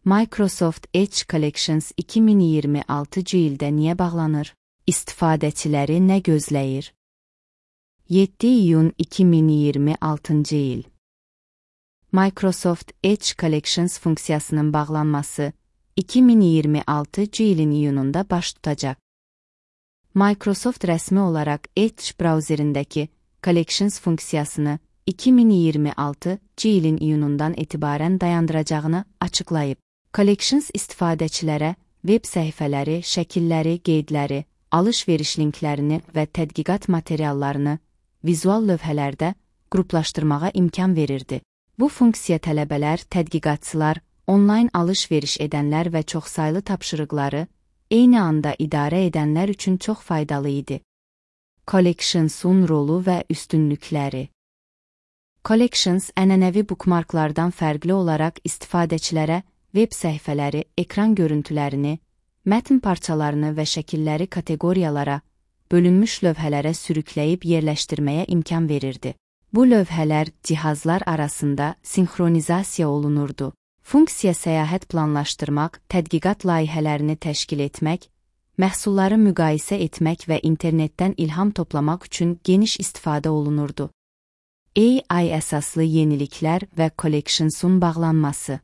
Microsoft Edge Collections 2026 ildə niyə bağlanır? İstifadəçiləri nə gözləyir? 7 iyun 2026 il. Microsoft Edge Collections funksiyasının bağlanması 2026 ilin iyununda baş tutacaq. Microsoft rəsmi olaraq Edge brauzerindəki Collections funksiyasını 2026 ilin iyunundan etibarən dayandıracağını açıqlayıb. Collections istifadəçilərə web səhifələri, şəkilləri, qeydləri, alış-veriş linklərini və tədqiqat materiallarını vizual lövhələrdə qruplaşdırmağa imkan verirdi. Bu funksiya tələbələr, tədqiqatçılar, onlayn alış-veriş edənlər və çoxsaylı tapşırıqları eyni anda idarə edənlər üçün çox faydalı idi. Collections'un rolu və üstünlükləri. Collections ənənəvi bookmarklardan fərqli olaraq istifadəçilərə web səhifələri, ekran görüntülərini, mətn parçalarını və şəkilləri kateqoriyalara, bölünmüş lövhələrə sürükləyib yerləşdirməyə imkan verirdi. Bu lövhələr cihazlar arasında sinxronizasiya olunurdu. Funksiya səyahət planlaşdırmaq, tədqiqat layihələrini təşkil etmək, məhsulları müqayisə etmək və internetdən ilham toplamaq üçün geniş istifadə olunurdu. AI əsaslı yeniliklər və Collections'un bağlanması.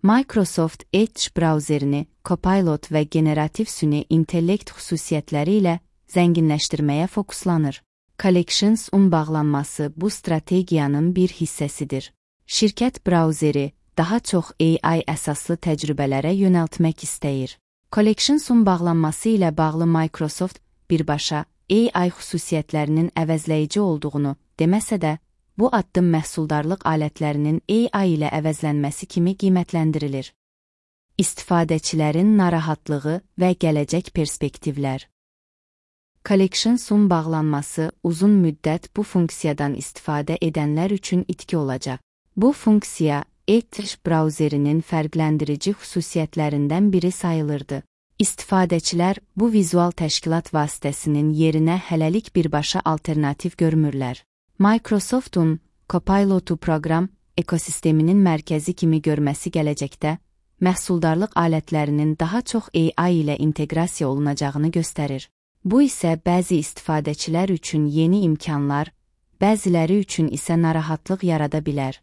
Microsoft Edge brauzerini Copilot və generativ süni intellekt xüsusiyyətləri ilə zənginləşdirməyə fokuslanır. Collections'un bağlanması bu strategiyanın bir hissəsidir. Şirkət brauzeri daha çox AI əsaslı təcrübələrə yönəltmək istəyir. Collections'un bağlanması ilə bağlı Microsoft birbaşa AI xüsusiyyətlərinin əvəzləyici olduğunu deməsə də, bu addım məhsuldarlıq alətlərinin AI ilə əvəzlənməsi kimi qiymətləndirilir. İstifadəçilərin narahatlığı və gələcək perspektivlər. Collections'un bağlanması uzun müddət bu funksiyadan istifadə edənlər üçün itki olacaq. Bu funksiya Edge brauzerinin fərqləndirici xüsusiyyətlərindən biri sayılırdı. İstifadəçilər bu vizual təşkilat vasitəsinin yerinə hələlik birbaşa alternativ görmürlər. Microsoft'un Copilot'u proqram ekosisteminin mərkəzi kimi görməsi gələcəkdə, məhsuldarlıq alətlərinin daha çox AI ilə inteqrasiya olunacağını göstərir. Bu isə bəzi istifadəçilər üçün yeni imkanlar, bəziləri üçün isə narahatlıq yarada bilər.